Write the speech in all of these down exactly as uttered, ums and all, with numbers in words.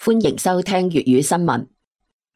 歡迎收聽粵語新聞。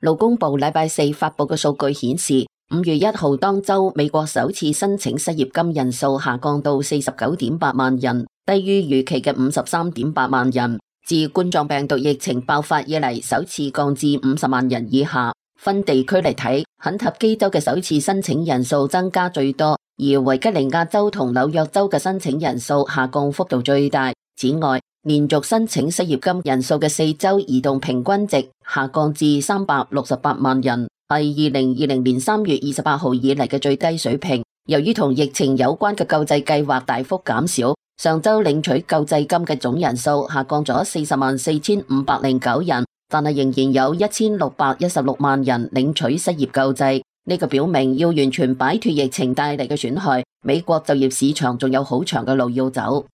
勞工部禮拜四發佈嘅數據顯示，五月一號當周美國首次申請失業金人數下降到四十九點八萬人，低於預期嘅五十三點八萬人，自冠狀病毒疫情爆發以嚟首次降至五十萬人以下。分地區嚟睇，肯塔基州嘅首次申請人數增加最多，而維吉尼亞州同紐約州嘅申請人數下降幅度最大。此外，連續申請失業金人數嘅四州移動平均值下降至三百六十八萬人，係二零二零年三月二十八號以嚟嘅最低水平。由於同疫情有關嘅救濟計劃大幅減少，上周領取救濟金嘅總人數下降咗四十萬四千五百零九人，但係仍然有一千六百一十六萬人領取失業救濟。呢個表明要完全擺脫疫情帶嚟嘅損害，美國就業市場仲有好長嘅路要走。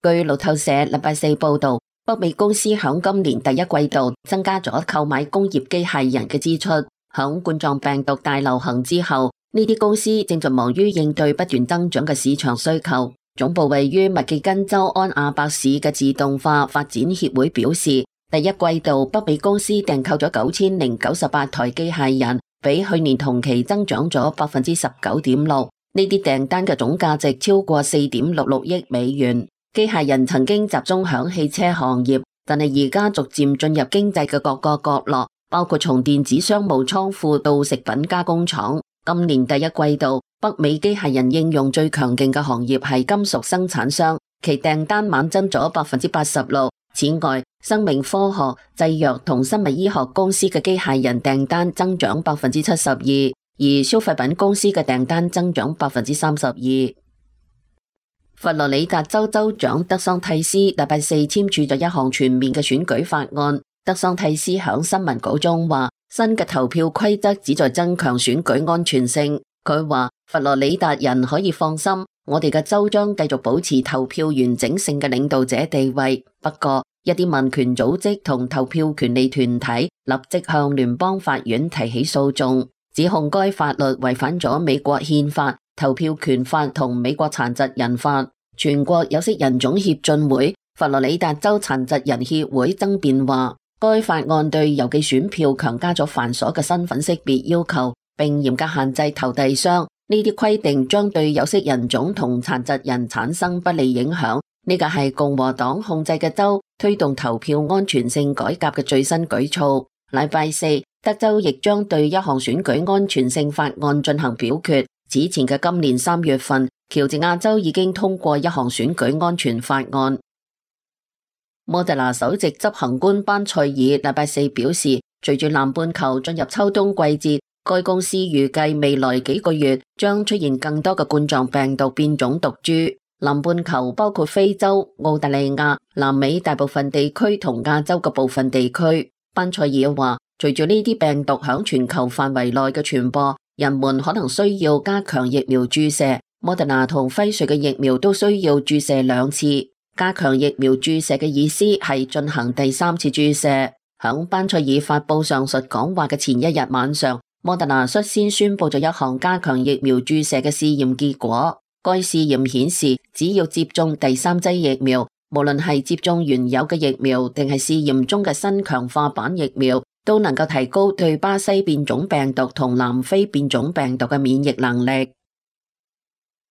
據路透社禮拜四報道，北美公司響今年第一季度增加咗購買工業機械人嘅支出。響冠狀病毒大流行之後，呢啲公司正在忙於應對不斷增長嘅市場需求。總部位於密歇根州安亞伯市嘅自動化發展協會表示，第一季度北美公司訂購咗九千零九十八台機械人，比去年同期增長咗百分之十九點六。呢啲訂單嘅總價值超過四點六六億美元。機械人曾經集中響汽車行業，但係而家逐漸進入經濟嘅各個角落，包括從電子商務倉庫到食品加工廠。今年第一季度，北美機械人應用最強勁嘅行業係金屬生產商，其訂單猛增咗百分之八十六。此外，生命科學、製藥同生物醫學公司嘅機械人訂單增長百分之七十二，而消費品公司嘅訂單增長百分之三十二。佛羅里達州州長德桑蒂斯禮拜四簽署咗一項全面嘅選舉法案。德桑蒂斯響新聞稿中話，新嘅投票規則旨在增強選舉安全性。佢話佛羅里達人可以放心，我哋嘅州將繼續保持投票完整性嘅領導者地位。不過，一啲民權組織同投票權利團體立即向聯邦法院提起訴訟，指控該法律違反咗美國憲法、投票權法同美國殘疾人法。全國有色人種協進會、佛羅里達州殘疾人協會爭辯話，該法案對郵寄選票強加咗繁瑣嘅身份識別要求，並嚴格限制投遞箱。呢啲規定將對有色人種同殘疾人產生不利影響。呢個係共和黨控制嘅州推動投票安全性改革嘅最新舉措。禮拜四，德州亦將對一項選舉安全性法案進行表決。此前嘅今年三月份，喬治亞州已經通過一項選舉安全法案。莫德納首席執行官班塞爾禮拜四表示，隨住南半球進入秋冬季節，該公司預計未來幾個月將出現更多嘅冠狀病毒變種毒株。南半球包括非洲、澳大利亞、南美大部分地區同亞洲嘅部分地區。班塞爾話，隨住呢啲病毒響全球範圍內嘅傳播，人們可能需要加強疫苗注射。莫德納同輝瑞嘅疫苗都需要注射兩次。加強疫苗注射嘅意思係進行第三次注射。響班塞爾發佈上述講話嘅前一日晚上，莫德納率先宣布咗一項加強疫苗注射嘅試驗結果。該試驗顯示，只要接種第三劑疫苗，無論係接種原有嘅疫苗定係試驗中嘅新強化版疫苗，都能夠提高對巴西變種病毒同南非變種病毒嘅免疫能力。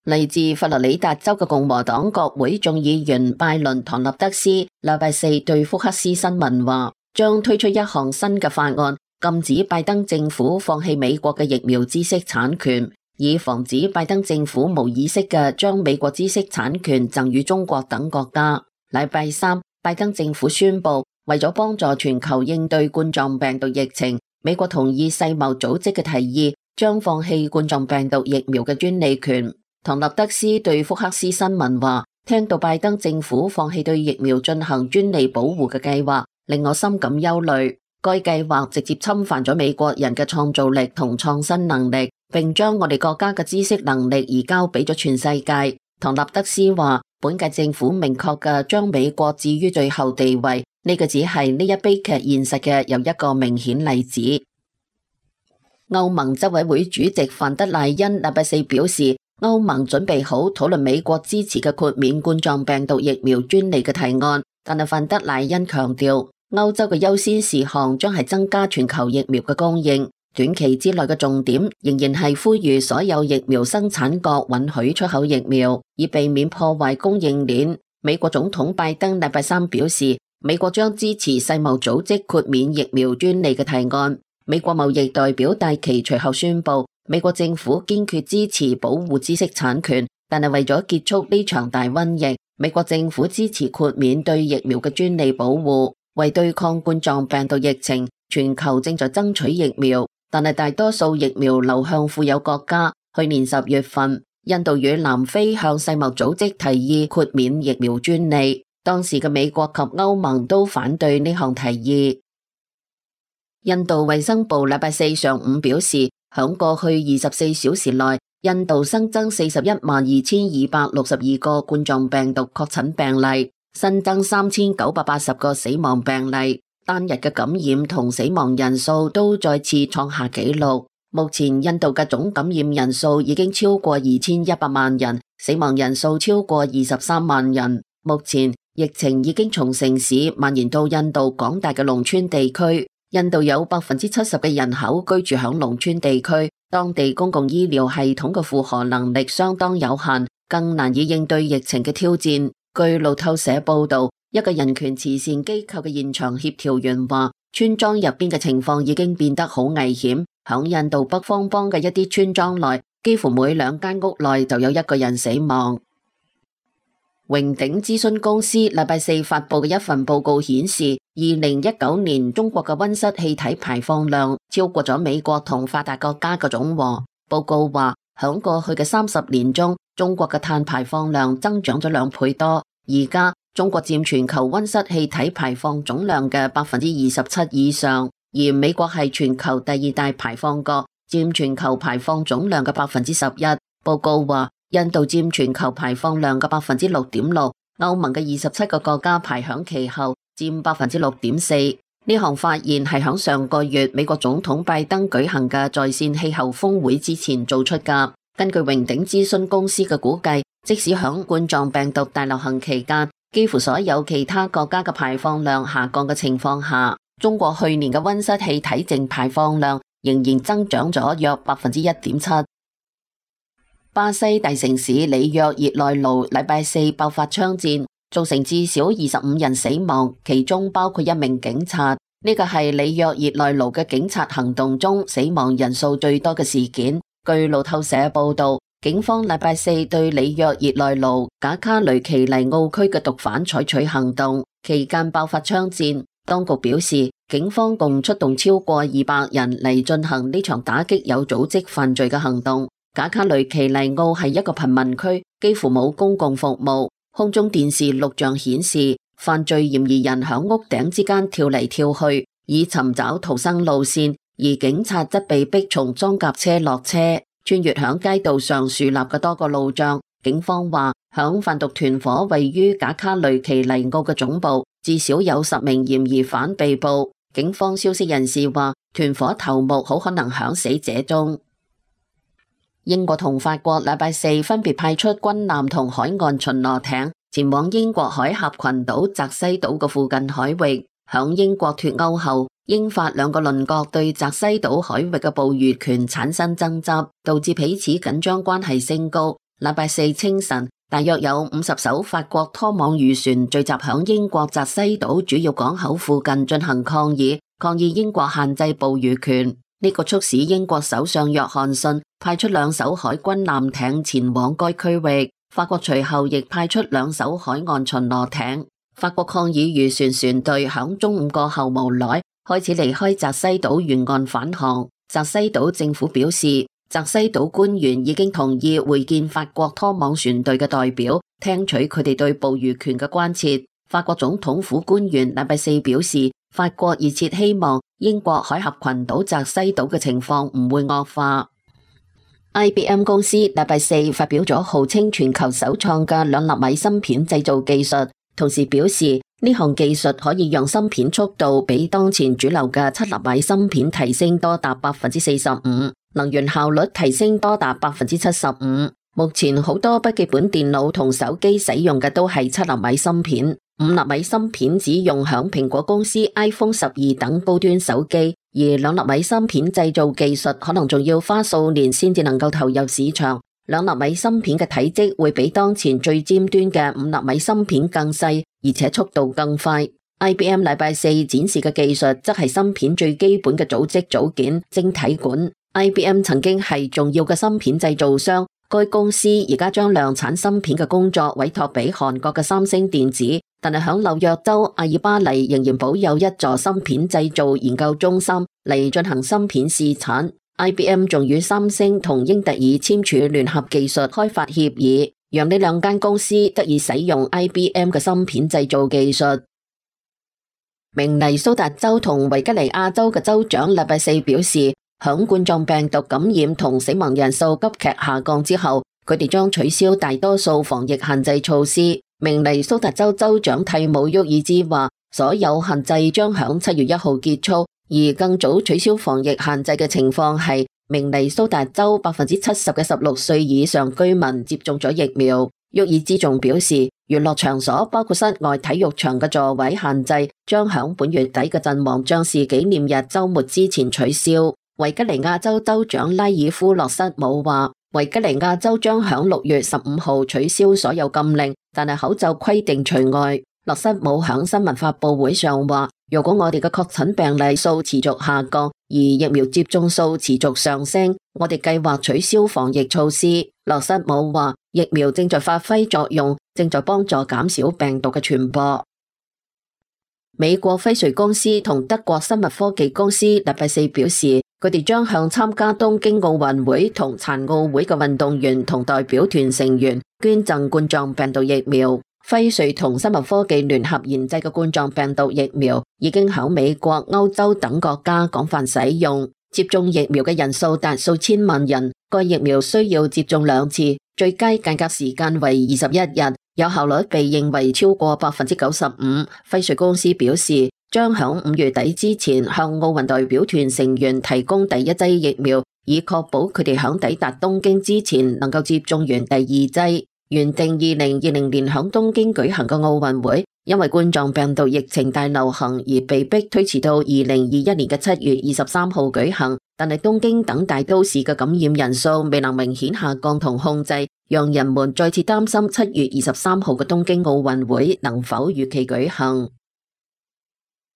嚟自佛羅里達州嘅共和黨國會眾議員拜倫唐納德斯禮拜四對福克斯新聞話，將推出一項新嘅法案，禁止拜登政府放棄美國嘅疫苗知識產權，以防止拜登政府無意識嘅將美國知識產權贈予中國等國家。禮拜三，拜登政府宣布，為咗幫助全球應對冠狀病毒疫情，美國同意世貿組織嘅提議，將放棄冠狀病毒疫苗嘅專利權。唐納德斯對福克斯新聞話，聽到拜登政府放棄對疫苗進行專利保護嘅計劃，令我深感憂慮。該計劃直接侵犯咗美國人嘅創造力同創新能力，並將我哋國家嘅知識能力移交俾咗全世界。唐納德斯話，本屆政府明確嘅將美國置於最後地位，呢個只係呢一悲劇現實嘅又一個明顯例子。歐盟執委會主席范德賴恩禮拜四表示，歐盟準備好討論美國支持嘅豁免冠狀病毒疫苗專利嘅提案，但係范德賴恩強調，歐洲嘅優先事項將係增加全球疫苗嘅供應，短期之內嘅重點仍然係呼籲所有疫苗生產國允許出口疫苗，以避免破壞供應鏈。美國總統拜登禮拜三表示，美國將支持世貿組織豁免疫苗專利嘅提案。美國貿易代表戴琪隨後宣布，美國政府堅決支持保護知識產權，但係為咗結束呢場大瘟疫，美國政府支持豁免對疫苗嘅專利保護。為對抗冠狀病毒疫情，全球正在爭取疫苗，但係大多數疫苗流向富有國家。去年十月份，印度與南非向世貿組織提議豁免疫苗專利，當時嘅美國及歐盟都反對呢項提議。印度衛生部禮拜四上午表示，響過去二十四小時內，印度新增四十一萬二千二百六十二個冠狀病毒確診病例，新增三千九百八十個死亡病例，單日嘅感染同死亡人數都再次創下紀錄。目前印度嘅總感染人數已經超過二千一百萬人，死亡人數超過二十三萬人。目前疫情已經從城市蔓延到印度廣大嘅農村地區。印度有百分之七十嘅人口居住響農村地區，當地公共醫療系統嘅負荷能力相當有限，更難以應對疫情嘅挑戰。據路透社報道，一個人權慈善機構嘅現場協調員話，村莊入邊嘅情況已經變得好危險。響印度北方邦嘅一啲村莊內，幾乎每兩間屋內就有一個人死亡。榮鼎諮詢公司禮拜四發佈嘅一份報告顯示，二零一九年中國嘅溫室氣體排放量超過咗美國同發達國家嘅總和。報告話，響過去嘅三十年中，中國嘅碳排放量增長咗兩倍多，而家中國佔全球溫室氣體排放總量嘅百分之二十七以上，而美國係全球第二大排放國，佔全球排放總量嘅百分之十一。報告話，印度佔全球排放量嘅百分之六點六，歐盟嘅二十七個國家排響其後，佔百分之六點四。呢項發現係響上個月美國總統拜登舉行嘅在線氣候峰會之前做出㗎。根據榮鼎諮詢公司嘅估計，即使響冠狀病毒大流行期間，幾乎所有其他國家嘅排放量下降嘅情況下，中國去年嘅溫室氣體淨排放量仍然增長咗約百分之一點七。巴西大城市里約熱內盧禮拜四爆發槍戰，造成至少二十五人死亡，其中包括一名警察。呢個係里約熱內盧嘅警察行動中死亡人數最多嘅事件。據路透社報道，警方禮拜四對里約熱內盧賈卡雷奇尼奧區嘅毒販採取行動，期間爆發槍戰。當局表示，警方共出動超過二百人嚟進行呢場打擊有組織犯罪嘅行動。賈卡雷奇尼奧係一個貧民區，幾乎冇公共服務。空中電視錄像顯示，犯罪嫌疑人響屋頂之間跳嚟跳去，以尋找逃生路線，而警察則被逼從裝甲車落車，穿越響街道上樹立嘅多個路障。警方話，響販毒團伙位於賈卡雷奇尼奧嘅總部，至少有十名嫌疑犯被捕。警方消息人士話，團伙頭目好可能響死者中。英國同法國禮拜四分別派出軍艦同海岸巡邏艇前往英國海峽群島澤西島嘅附近海域。響英國脫歐後，英法兩個鄰國對澤西島海域嘅捕魚權產生爭執，導致彼此緊張關係升高。禮拜四清晨，大約有五十艘法國拖網漁船聚集響英國澤西島主要港口附近進行抗議，抗議英國限制捕魚權。呢個促使英國首相約翰遜派出兩艘海軍艦艇前往該區域。法國隨後亦派出兩艘海岸巡邏艇。法國抗議漁船船隊響中午過後無奈開始離開澤西島沿岸返航。澤西島政府表示，澤西島官員已經同意會見法國拖網船隊嘅代表，聽取佢哋對捕魚權嘅關切。法國總統府官員禮拜四表示，法國熱切希望英國海峽群島澤西島嘅情況唔會惡化。I B M 公司禮拜四發表咗號稱全球首創嘅兩納米芯片製造技術，同時表示呢項技術可以讓芯片速度比當前主流嘅七納米芯片提升多達百分之四十五，能源效率提升多達百分之七十五。目前好多筆記本電腦同手機使用嘅都係七納米芯片。五納米芯片只用響蘋果公司 iPhone 十二等高端手機，而兩納米芯片製造技術可能仲要花數年先至能夠投入市場。兩納米芯片嘅體積會比當前最尖端嘅五納米芯片更細，而且速度更快。I B M 禮拜四展示嘅技術則係芯片最基本嘅組織組件晶體管。I B M 曾經係重要嘅芯片製造商，該公司而家將量產芯片嘅工作委託俾韓國嘅三星電子，但係響紐約州阿爾巴尼仍然保有一座芯片製造研究中心嚟進行芯片試產。I B M 仲與三星同英特爾簽署聯合技術開發協議，讓呢兩間公司得以使用 I B M 嘅芯片製造技術。明尼蘇達州同維吉尼亞州嘅州長禮拜四表示，響冠狀病毒感染同死亡人數急劇下降之後，佢哋將取消大多數防疫限制措施。明尼蘇達州州長蒂姆沃爾茲話，所有限制將響七月一號結束，而更早取消防疫限制嘅情況係明尼蘇達州百分之七十嘅十六歲以上居民接種咗疫苗。沃爾茲仲表示，娛樂場所包括室外體育場嘅座位限制將響本月底嘅陣亡將士紀念日週末之前取消。維吉尼亞州州長拉爾夫洛瑟姆話，維吉尼亞州將響六月十五號取消所有禁令，但係口罩規定除外。洛瑟姆響新聞發佈會上話，如果我哋嘅確診病例數持續下降，而疫苗接種數持續上升，我哋計劃取消防疫措施。洛瑟姆話，疫苗正在發揮作用，正在幫助減少病毒嘅傳播。美國輝瑞公司同德國生物科技公司禮拜四表示，佢哋將向參加東京奧運會同殘奧會嘅運動員同代表團成員捐贈冠狀病毒疫苗。輝瑞同生物科技聯合研製嘅冠狀病毒疫苗已經喺美國、歐洲等國家廣泛使用，接種疫苗嘅人數達數千萬人。該疫苗需要接種兩次，最佳間隔時間為二十一日，有效率被認為超過百分之九十五。輝瑞公司表示，將喺五月底之前向奧運代表團成員提供第一劑疫苗，以確保佢哋喺抵達東京之前能夠接種完第二劑。原定二零二零年喺東京舉行嘅奧運會，因為冠狀病毒疫情大流行而被迫推遲到二零二一年嘅七月二十三號舉行。但係東京等大都市嘅感染人數未能明顯下降同控制，讓人們再次擔心七月二十三號嘅東京奧運會能否如期舉行。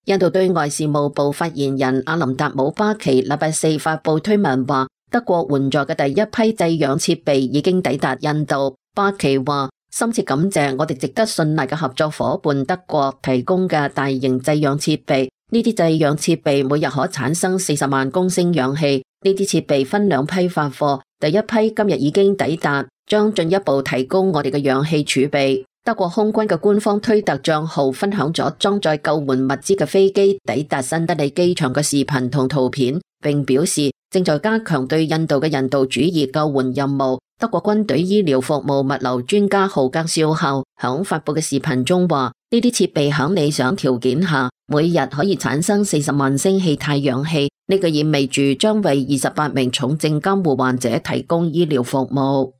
印度對外事務部發言人阿林達姆巴奇禮拜四發布推文話，德國援助嘅第一批製氧設備已經抵達印度。巴奇話，深切感謝我哋值得信賴嘅合作夥伴德國提供嘅大型製氧設備。呢啲製氧設備每日可產生四十萬公升氧氣。呢啲設備分兩批發貨，第一批今日已經抵達，將進一步提高我哋嘅氧氣儲備。德國空軍嘅官方推特賬號分享咗裝載救援物資嘅飛機抵達新德里機場嘅視頻同圖片，並表示正在加強對印度嘅人道主義救援任務。德國軍隊醫療服務物流專家豪格少校響發布嘅視頻中話，呢啲設備響理想條件下，每日可以產生四十萬升氣態氧氣。呢個意味住將為二十八名重症監護患者提供醫療服務。